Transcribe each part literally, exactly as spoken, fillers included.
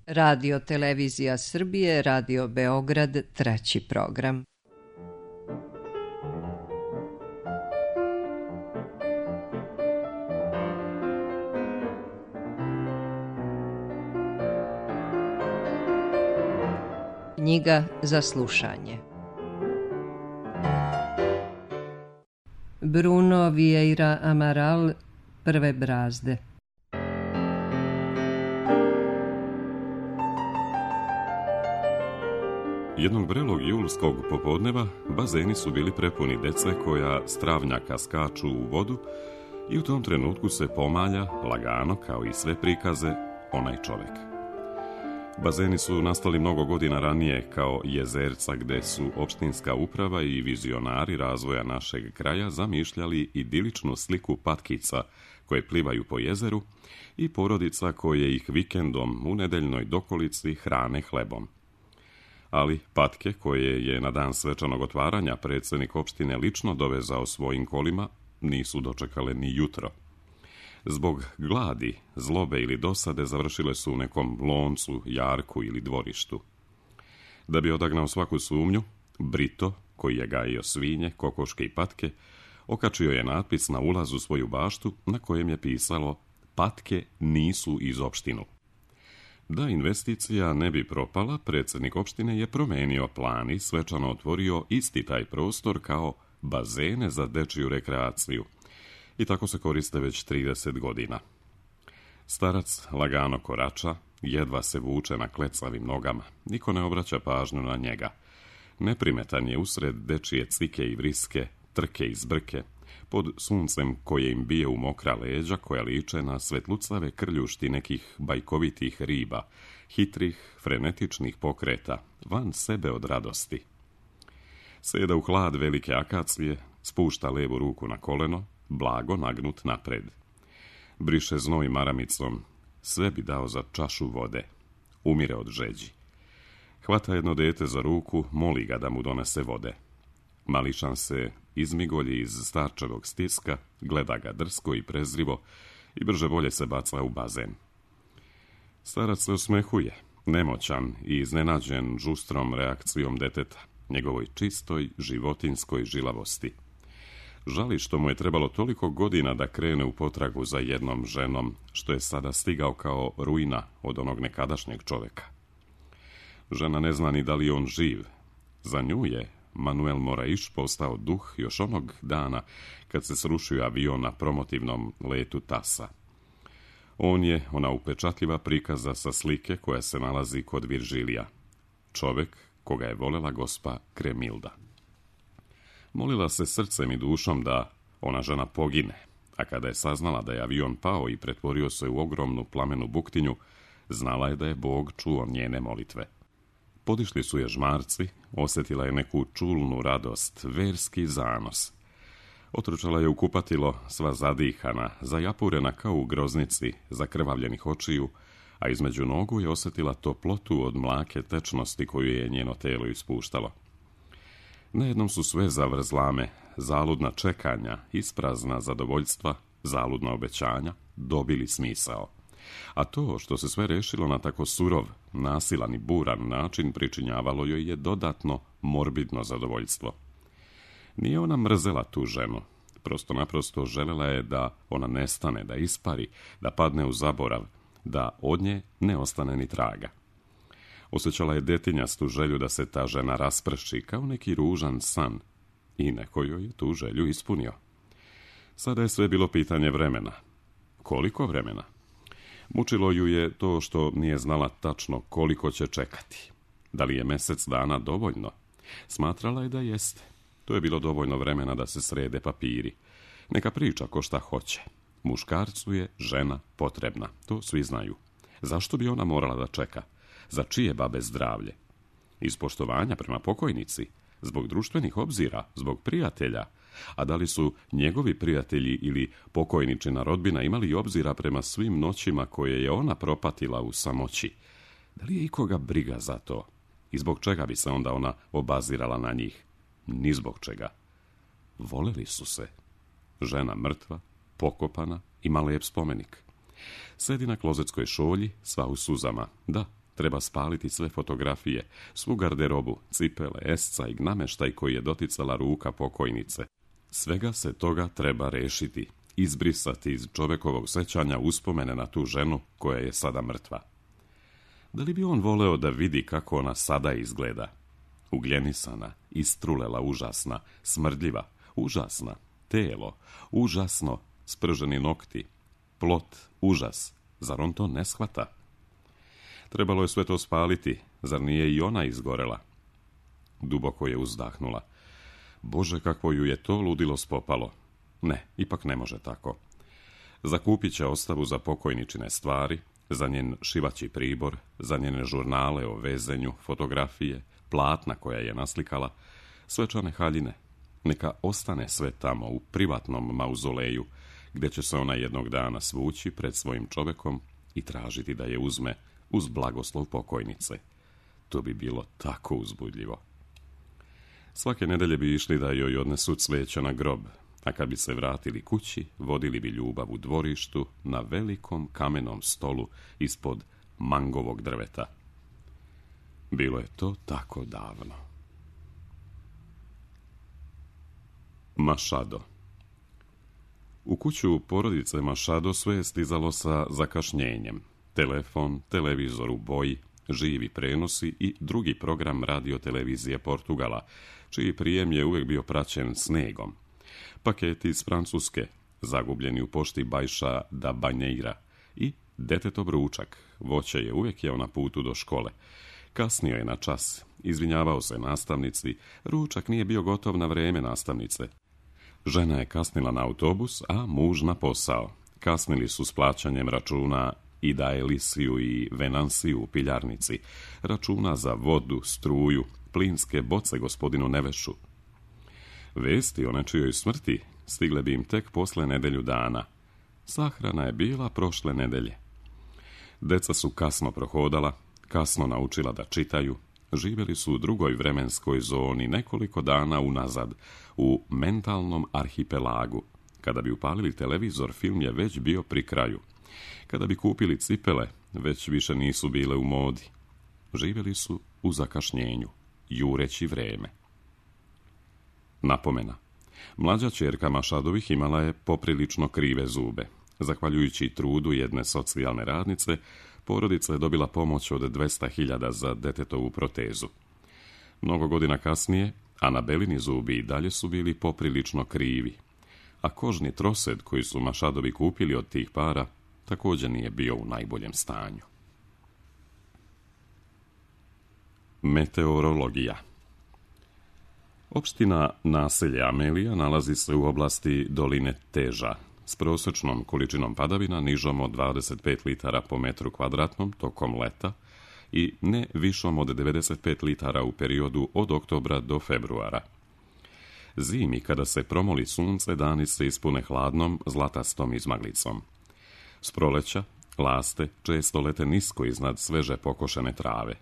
Radio Televizija Srbije, Radio Beograd, treći program. Knjiga za slušanje. Bruno Vieira Amaral, Prve brazde. Jednog vrelog julskog popodneva bazeni su bili prepuni dece koja s travnjaka skaču u vodu i u tom trenutku se pomalja, lagano, kao i sve prikaze, onaj čovjek. Bazeni su nastali mnogo godina ranije kao jezerca gde su opštinska uprava i vizionari razvoja našeg kraja zamišljali idiličnu sliku patkica koje plivaju po jezeru i porodica koje ih vikendom u nedeljnoj dokolici hrane hlebom. Ali patke koje je na dan svečanog otvaranja predsjednik opštine lično dovezao svojim kolima nisu dočekale ni jutro. Zbog gladi, zlobe ili dosade završile su u nekom loncu, jarku ili dvorištu. Da bi odagnao svaku sumnju, Brito, koji je gajio svinje, kokoške i patke, okačio je natpis na ulazu u svoju baštu na kojem je pisalo "Patke nisu iz opštinu". Da investicija ne bi propala, predsjednik opštine je promenio plan i svečano otvorio isti taj prostor kao bazene za dečiju rekreaciju. I tako se koriste već trideset godina. Starac lagano korača, jedva se vuče na klecavim nogama. Niko ne obraća pažnju na njega. Neprimetan je usred dečije cvike i vriske, trke i zbrke, pod suncem koje im bije u mokra leđa koja liče na svetlucave krljušti nekih bajkovitih riba, hitrih, frenetičnih pokreta, van sebe od radosti. Seda u hlad velike akacije, spušta levu ruku na koleno, blago nagnut napred. Briše znoj maramicom, sve bi dao za čašu vode. Umire od žeđi. Hvata jedno dete za ruku, moli ga da mu donese vode. Mališan se izmigolji iz starčevog stiska, gleda ga drsko i prezrivo i brže bolje se baca u bazen. Starac se osmehuje, nemoćan i iznenađen žustrom reakcijom deteta, njegovoj čistoj životinskoj žilavosti. Žali što mu je trebalo toliko godina da krene u potragu za jednom ženom, što je sada stigao kao ruina od onog nekadašnjeg čoveka. Žena ne zna ni da li je on živ. Za nju je Manuel Moraiš postao duh još onog dana kad se srušio avion na promotivnom letu Tasa. On je ona upečatljiva prikaza sa slike koja se nalazi kod Viržilija. Čovek koga je volela gospa Kremilda. Molila se srcem i dušom da ona žena pogine, a kada je saznala da je avion pao i pretvorio se u ogromnu plamenu buktinju, znala je da je Bog čuo njene molitve. Podišli su je žmarci, osjetila je neku čulnu radost, verski zanos. Otručala je u kupatilo, sva zadihana, zajapurena kao u groznici, zakrvavljenih očiju, a između nogu je osjetila toplotu od mlake tečnosti koju je njeno telo ispuštalo. Najednom su sve zavrzlame, zaludna čekanja, isprazna zadovoljstva, zaludna obećanja, dobili smisao. A to što se sve rešilo na tako surov, nasilan i buran način pričinjavalo joj je dodatno morbidno zadovoljstvo. Nije ona mrzela tu ženu, prosto naprosto želela je da ona nestane, da ispari, da padne u zaborav, da od nje ne ostane ni traga. Osjećala je detinjastu želju da se ta žena rasprši kao neki ružan san i neko joj je tu želju ispunio. Sada je sve bilo pitanje vremena. Koliko vremena? Mučilo ju je to što nije znala tačno koliko će čekati. Da li je mjesec dana dovoljno? Smatrala je da jeste. To je bilo dovoljno vremena da se srede papiri. Neka priča ko šta hoće. Muškarcu je žena potrebna, to svi znaju. Zašto bi ona morala da čeka? Za čije babe zdravlje? Iz poštovanja prema pokojnici? Zbog društvenih obzira? Zbog prijatelja? A da li su njegovi prijatelji ili pokojničina rodbina imali obzira prema svim noćima koje je ona propatila u samoći? Da li je ikoga briga za to? I zbog čega bi se onda ona obazirala na njih? Ni zbog čega. Voleli su se. Žena mrtva, pokopana, ima lep spomenik. Sedi na klozetskoj šolji, sva u suzama. Da, Treba spaliti sve fotografije, svu garderobu, cipele, esca i namještaj koji je doticala ruka pokojnice. Svega se toga treba rešiti, izbrisati iz čovekovog sećanja uspomene na tu ženu koja je sada mrtva. Da li bi on voleo da vidi kako ona sada izgleda? Ugljenisana, istrulela, užasna, smrdljiva, užasna, telo, užasno, sprženi nokti, plot, užas. Zar on to ne shvata? Trebalo je sve to spaliti, zar nije i ona izgorela? Duboko je uzdahnula. Bože, kakvo ju je to ludilo spopalo. Ne, ipak ne može tako. Zakupit će ostavu za pokojničine stvari, za njen šivaći pribor, za njene žurnale o vezenju, fotografije, platna koja je naslikala, svečane haljine. Neka ostane sve tamo u privatnom mauzoleju, gdje će se ona jednog dana svući pred svojim čovekom i tražiti da je uzme uz blagoslov pokojnice. To bi bilo tako uzbudljivo. Svake nedelje bi išli da joj odnesu cveća na grob, a kad bi se vratili kući, vodili bi ljubav u dvorištu na velikom kamenom stolu ispod mangovog drveta. Bilo je to tako davno. Mašado. U kuću porodice Mašado sve je stizalo sa zakašnjenjem. Telefon, televizor u boji, živi prenosi i drugi program radiotelevizije Portugala, čiji prijem je uvijek bio praćen snegom. Paketi iz Francuske, zagubljeni u pošti Baixa da Banheira, i detetov ručak, voće je uvijek jeo na putu do škole. Kasnio je na čas, izvinjavao se nastavnici, ručak nije bio gotov na vrijeme nastavnice. Žena je kasnila na autobus, a muž na posao. Kasnili su s plaćanjem računa i da Elisiju i Venansiju u piljarnici, računa za vodu, struju, plinske boce gospodinu Nevešu. Vesti o nečijoj smrti stigle bi im tek posle nedelju dana. Sahrana je bila prošle nedelje. Deca su kasno prohodala, kasno naučila da čitaju, živjeli su u drugoj vremenskoj zoni nekoliko dana unazad, u mentalnom arhipelagu. Kada bi upalili televizor, film je već bio pri kraju. Kada bi kupili cipele, već više nisu bile u modi. Živjeli su u zakašnjenju, jureći vreme. Napomena. Mlađa ćerka Mašadovih imala je poprilično krive zube. Zahvaljujući trudu jedne socijalne radnice, porodica je dobila pomoć od dvesta hiljada za detetovu protezu. Mnogo godina kasnije, Anabelini zubi i dalje su bili poprilično krivi, a kožni trosed koji su Mašadovi kupili od tih para također nije bio u najboljem stanju. Meteorologija. Opština naselje Amelija nalazi se u oblasti doline Teža, s prosječnom količinom padavina nižom od dvadeset pet litara po metru kvadratnom tokom leta i ne višom od devedeset pet litara u periodu od oktobra do februara. Zimi, kada se promoli sunce, dani se ispune hladnom, zlatastom izmaglicom. S proleća, laste često lete nisko iznad sveže pokošene trave.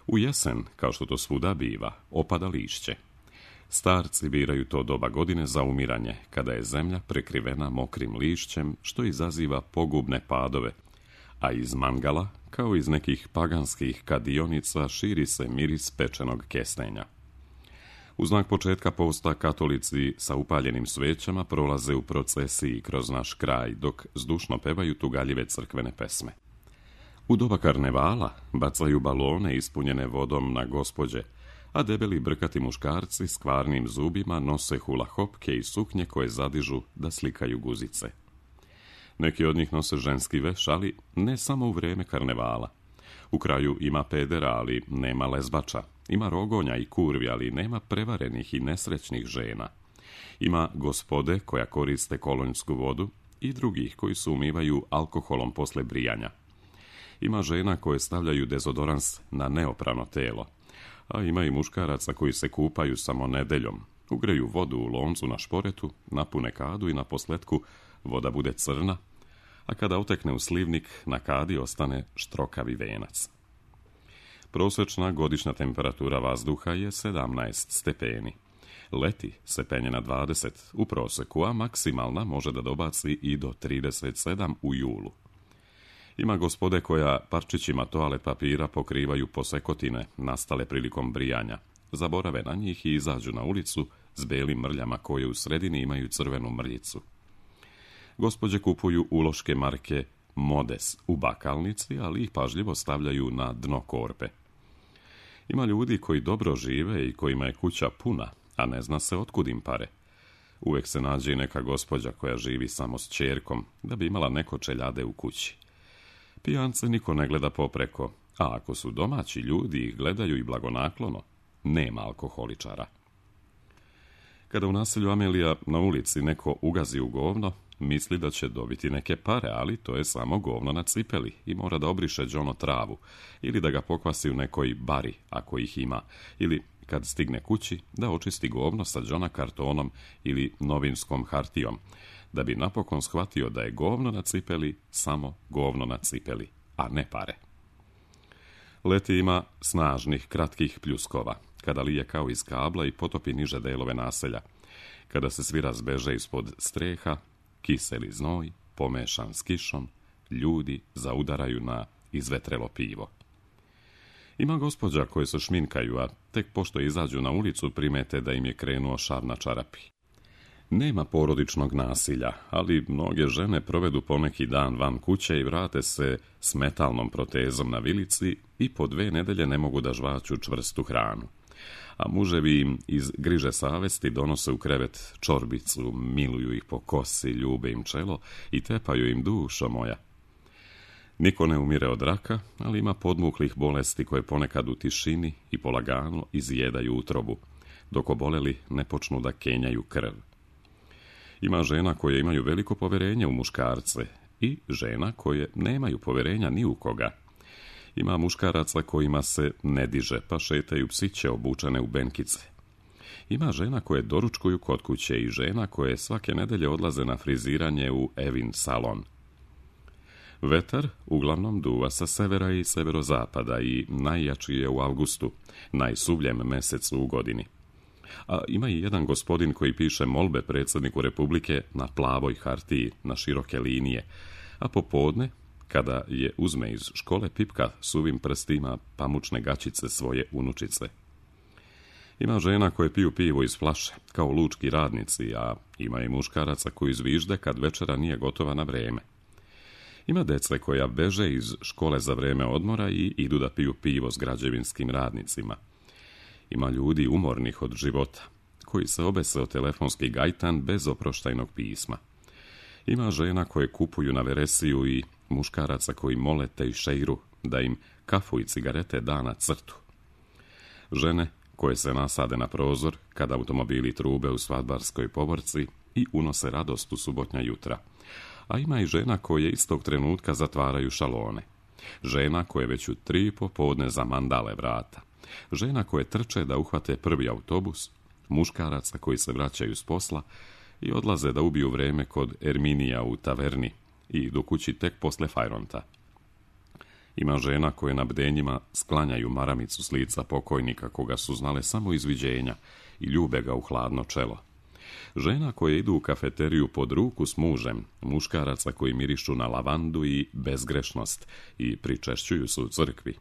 U jesen, kao što to svuda biva, opada lišće. Starci biraju to doba godine za umiranje, kada je zemlja prekrivena mokrim lišćem, što izaziva pogubne padove, a iz mangala, kao iz nekih paganskih kadionica, širi se miris pečenog kestenja. U znak početka posta katolici sa upaljenim svećama prolaze u procesiji kroz naš kraj, dok zdušno pevaju tugaljive crkvene pesme. U doba karnevala bacaju balone ispunjene vodom na gospođe, a debeli brkati muškarci s kvarnim zubima nose hula hopke i suknje koje zadižu da slikaju guzice. Neki od njih nose ženski veš, ali ne samo u vrijeme karnevala. U kraju ima pedera, ali nema lezbača. Ima rogonja i kurvi, ali nema prevarenih i nesrećnih žena. Ima gospode koja koriste kolonjsku vodu i drugih koji se umivaju alkoholom posle brijanja. Ima žena koje stavljaju dezodorans na neoprano telo, a ima i muškaraca koji se kupaju samo nedeljom. Ugreju vodu u loncu na šporetu, napune kadu i na posletku voda bude crna, a kada utekne u slivnik, na kadi ostane štrokavi venac. Prosječna godišnja temperatura vazduha je sedamnaest stepeni. Leti se penje na dvadeset u proseku, a maksimalna može da dobaci i do trideset sedam u julu. Ima gospode koja parčićima toalet papira pokrivaju posekotine nastale prilikom brijanja, zaborave na njih i izađu na ulicu s belim mrljama koje u sredini imaju crvenu mrljicu. Gospođe kupuju uloške marke Modes u bakalnici, ali ih pažljivo stavljaju na dno korpe. Ima ljudi koji dobro žive i kojima je kuća puna, a ne zna se otkud im pare. Uvijek se nađe i neka gospođa koja živi samo s ćerkom, da bi imala neko čeljade u kući. Pijance niko ne gleda popreko, a ako su domaći ljudi ih gledaju i blagonaklono, nema alkoholičara. Kada u naselju Amelija na ulici neko ugazi u govno, misli da će dobiti neke pare, ali to je samo govno na cipeli i mora da obriše džono travu, ili da ga pokvasi u nekoj bari, ako ih ima, ili kad stigne kući, da očisti govno sa džona kartonom ili novinskom hartijom, da bi napokon shvatio da je govno na cipeli samo govno na cipeli, a ne pare. Leti ima snažnih, kratkih pljuskova, kada lije kao iz kabla i potopi niže delove naselja, kada se svi razbeže ispod streha, kiseli znoj, pomešan s kišom, ljudi zaudaraju na izvetrelo pivo. Ima gospođa koje se šminkaju, a tek pošto izađu na ulicu primete da im je krenuo šar na čarapi. Nema porodičnog nasilja, ali mnoge žene provedu poneki dan van kuće i vrate se s metalnom protezom na vilici i po dve nedelje ne mogu da žvaću čvrstu hranu. A muževi im iz griže savesti donose u krevet čorbicu, miluju ih po kosi, ljube im čelo i tepaju im dušo moja. Niko ne umire od raka, ali ima podmuklih bolesti koje ponekad u tišini i polagano izjedaju utrobu, dok oboleli ne počnu da kenjaju krv. Ima žena koje imaju veliko poverenje u muškarce i žena koje nemaju poverenja ni u koga. Ima muškaraca kojima se ne diže, pa šetaju psiće obučene u benkice. Ima žena koje doručkuju kod kuće i žena koje svake nedelje odlaze na friziranje u Evin salon. Vetar uglavnom duva sa severa i severozapada i najjači je u avgustu, najsuvljem mesecu u godini. A ima i jedan gospodin koji piše molbe predsjedniku Republike na plavoj hartiji, na široke linije, a popodne, kada je uzme iz škole, pipka suvim prstima pamučne gačice svoje unučice. Ima žena koje piju pivo iz flaše, kao lučki radnici, a ima i muškaraca koji zvižde kad večera nije gotova na vreme. Ima dece koja beže iz škole za vreme odmora i idu da piju pivo s građevinskim radnicima. Ima ljudi umornih od života, koji se obese o telefonski gajtan bez oproštajnog pisma. Ima žena koje kupuju na veresiju i muškaraca koji mole tejšeiru da im kafu i cigarete da na crtu. Žene koje se nasade na prozor kad automobili trube u svadbarskoj povorci i unose radost u subotnja jutra. A ima i žena koje istog trenutka zatvaraju šalone. Žena koje već u tri popodne zamandale vrata. Žena koje trče da uhvate prvi autobus, muškaraca koji se vraćaju s posla i odlaze da ubiju vreme kod Erminija u taverni i idu kući tek posle fajronta. Ima žena koje na bdenjima sklanjaju maramicu s lica pokojnika koga su znale samo iz viđenja i ljube ga u hladno čelo. Žena koje idu u kafeteriju pod ruku s mužem, muškaraca koji mirišu na lavandu i bezgrešnost i pričešćuju se u crkvi.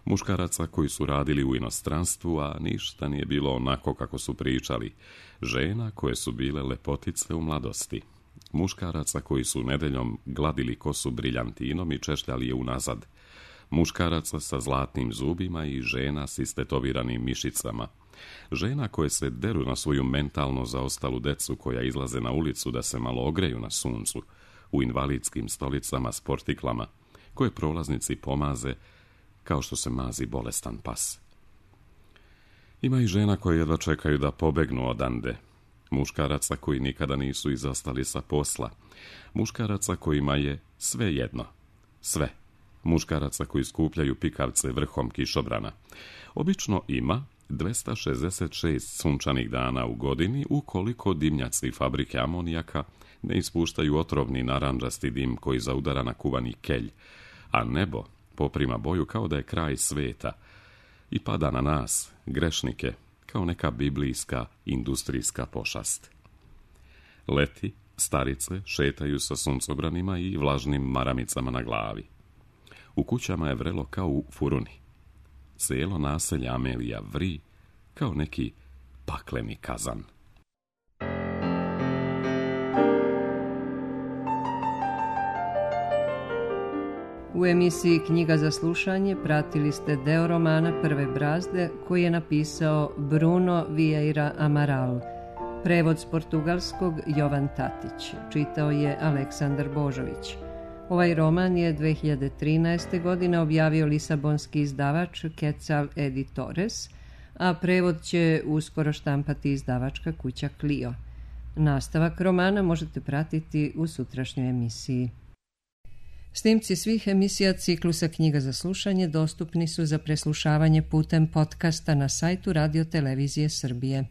Muškaraca koji su radili u inostranstvu, a ništa nije bilo onako kako su pričali. Žena koje su bile lepotice u mladosti. Muškaraca koji su nedeljom gladili kosu briljantinom i češljali je unazad. Muškaraca sa zlatnim zubima i žena s istetoviranim mišicama. Žena koje se deru na svoju mentalno zaostalu decu koja izlaze na ulicu da se malo ogreju na suncu, u invalidskim stolicama s portiklama, koje prolaznici pomaze kao što se mazi bolestan pas. Ima i žena koje jedva čekaju da pobegnu odande, muškaraca koji nikada nisu izostali sa posla, muškaraca kojima je sve jedno, sve, muškaraca koji skupljaju pikavce vrhom kišobrana. Obično ima dvesta šezdeset šest sunčanih dana u godini ukoliko dimnjaci fabrike amonijaka ne ispuštaju otrovni narandžasti dim koji zaudara na kuvani kelj, a nebo poprima boju kao da je kraj sveta i pada na nas, grešnike, kao neka biblijska industrijska pošast. Leti Starice šetaju sa suncobranima i vlažnim maramicama na glavi. U kućama je vrelo kao u furuni. Cijelo naselje Amelija vri kao neki pakleni kazan. U emisiji Knjiga za slušanje pratili ste deo romana Prve brazde koji je napisao Bruno Vieira Amaral. Prevod s portugalskog Jovan Tatić. Čitao je Aleksandar Božović. Ovaj roman je dve hiljade trinaeste. godine objavio lisabonski izdavač Quetzal Editores, a prevod će uskoro štampati izdavačka kuća Clio. Nastavak romana možete pratiti u sutrašnjoj emisiji. Snimci svih emisija ciklusa Knjiga za slušanje dostupni su za preslušavanje putem podcasta na sajtu Radio Televizije Srbije.